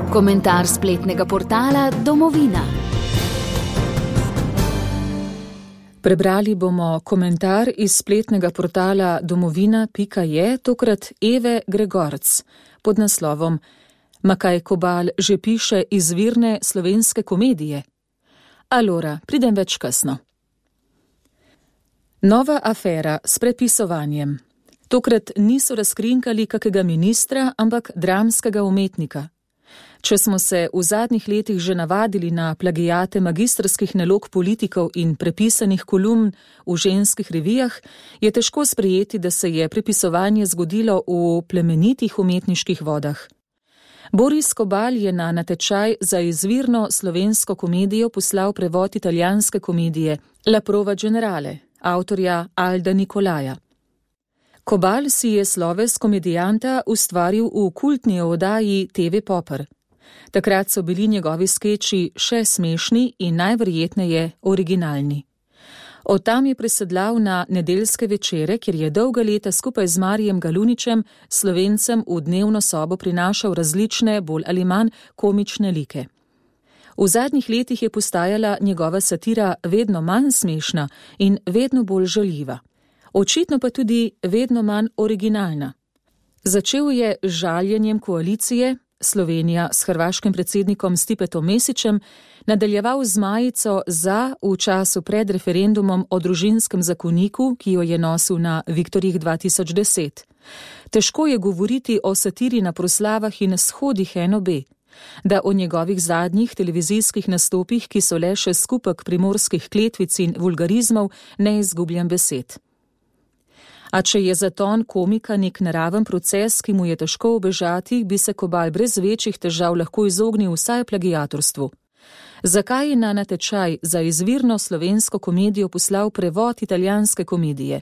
Komentar spletnega portala Domovina. Prebrali bomo komentar iz spletnega portala domovina.je, tokrat Eve Gregorc, pod naslovom Ma kaj Kobal že piše izvirne slovenske komedije? Alora, pridem več kasno. Nova afera s prepisovanjem. Tokrat niso razkrinkali kakega ministra, ampak dramskega umetnika. Če smo se v zadnjih letih že navadili na plagijate magistrskih nalog politikov in prepisanih kolumn v ženskih revijah, je težko sprejeti, da se je prepisovanje zgodilo v plemenitih umetniških vodah. Boris Kobal je na natečaj za izvirno slovensko komedijo poslal prevod italijanske komedije La prova generale, avtorja Alda Nikolaja. Kobal si je sloves komedijanta ustvaril v kultni oddaji TV Popper. Takrat so bili njegovi skeči še smešni in najverjetneje originalni. Od tam je presedlal na nedeljske večere, kjer je dolga leta skupaj z Marijem Galuničem Slovencem v dnevno sobo prinašal različne, bolj ali manj komične like. V zadnjih letih je postajala njegova satira vedno manj smešna in vedno bolj žaljiva. Očitno pa tudi vedno manj originalna. Začel je z žaljenjem koalicije, Slovenija s hrvaškim predsednikom Stipetom Mesićem, nadaljeval z majico za v času pred referendumom o družinskem zakoniku, ki jo je nosil na Viktorjih 2010. Težko je govoriti o satiri na proslavah in shodih NOB, da o njegovih zadnjih televizijskih nastopih, ki so le še skupek primorskih kletvic in vulgarizmov, ne izgubljam besed. A če je zaton komika nek naraven proces, ki mu je težko ubežati, bi se Kobal brez večjih težav lahko izognil vsaj plagiatorstvu. Zakaj je na natečaj za izvirno slovensko komedijo poslal prevod italijanske komedije?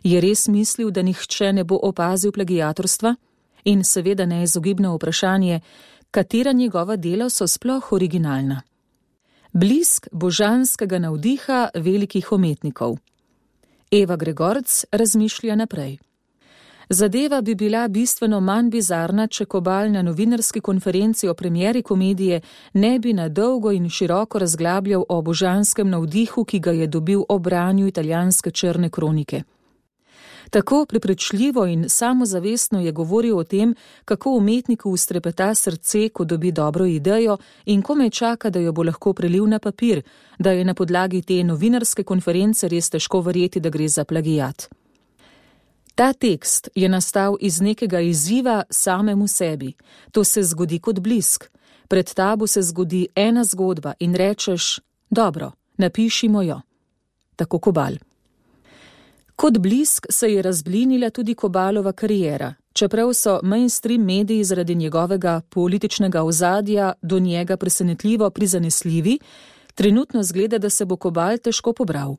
Je res mislil, da nihče ne bo opazil plagiatorstva? In seveda neizogibno vprašanje, katera njegova dela so sploh originalna? Blisk božanskega navdiha velikih umetnikov. Eva Gregorc razmišlja naprej. Zadeva bi bila bistveno manj bizarna, če Kobal na novinarski konferenci o premieri komedije ne bi na dolgo in široko razglabljal o božanskem navdihu, ki ga je dobil ob branju italijanske črne kronike. Tako prepričljivo in samozavestno je govoril o tem, kako umetniku ustrepeta srce, ko dobi dobro idejo in komaj čaka, da jo bo lahko prelil na papir, da je na podlagi te novinarske konference res težko verjeti, da gre za plagijat. Ta tekst je nastal iz nekega izziva samemu sebi. To se zgodi kot blisk. Pred tabo se zgodi ena zgodba in rečeš, dobro, napišimo jo. Tako Kobal. Kot blisk se je razblinila tudi Kobalova kariera, čeprav so mainstream mediji zaradi njegovega političnega ozadja do njega presenetljivo prizanesljivi, trenutno zgleda, da se bo Kobal težko pobral.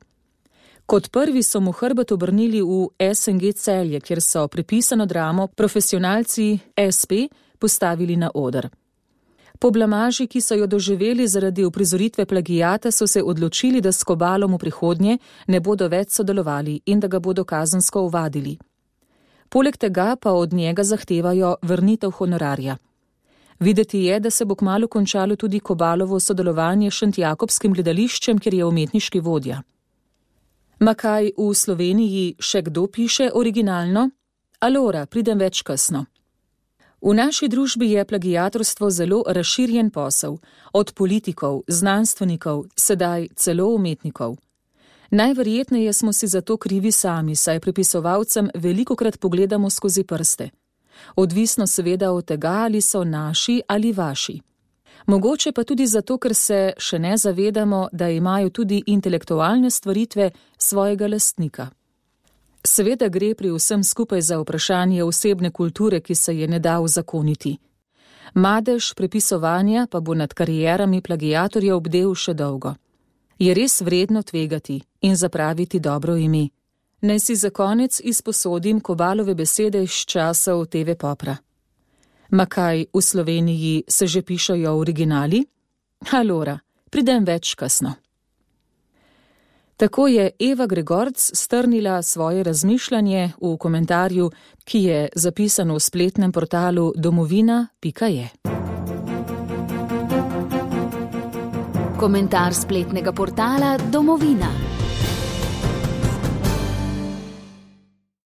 Kot prvi so mu hrbet obrnili v SNG Celje, kjer so prepisano dramo profesionalci SP postavili na oder. Po blamaži, ki so jo doživeli zaradi uprizoritve plagijata, so se odločili, da s Kobalom v prihodnje ne bodo več sodelovali in da ga bodo kazensko ovadili. Poleg tega pa od njega zahtevajo vrnitev honorarja. Videti je, da se bo kmalu končalo tudi Kobalovo sodelovanje s Šentjakobskim gledališčem, kjer je umetniški vodja. Ma kaj v Sloveniji še kdo piše originalno? Alora, pridem več kasno. V naši družbi je plagiatorstvo zelo razširjen posel, od politikov, znanstvenikov, sedaj celo umetnikov. Najverjetneje smo si zato krivi sami, saj prepisovalcem velikokrat pogledamo skozi prste. Odvisno seveda od tega, ali so naši ali vaši. Mogoče pa tudi zato, ker se še ne zavedamo, da imajo tudi intelektualne stvaritve svojega lastnika. Seveda gre pri vsem skupaj za vprašanje osebne kulture, ki se je ne da uzakoniti. Madež prepisovanja pa bo nad karierami plagiatorjev bdel še dolgo. Je res vredno tvegati in zapraviti dobro ime. Naj si za konec izposodim Kobalove besede iz časov TV Popra. Ma kaj v Sloveniji se že pišejo originali? Alora, pridem več kasno. Tako je Eva Gregorc strnila svoje razmišljanje v komentarju, ki je zapisan v spletnem portalu domovina.je. Komentar spletnega portala Domovina.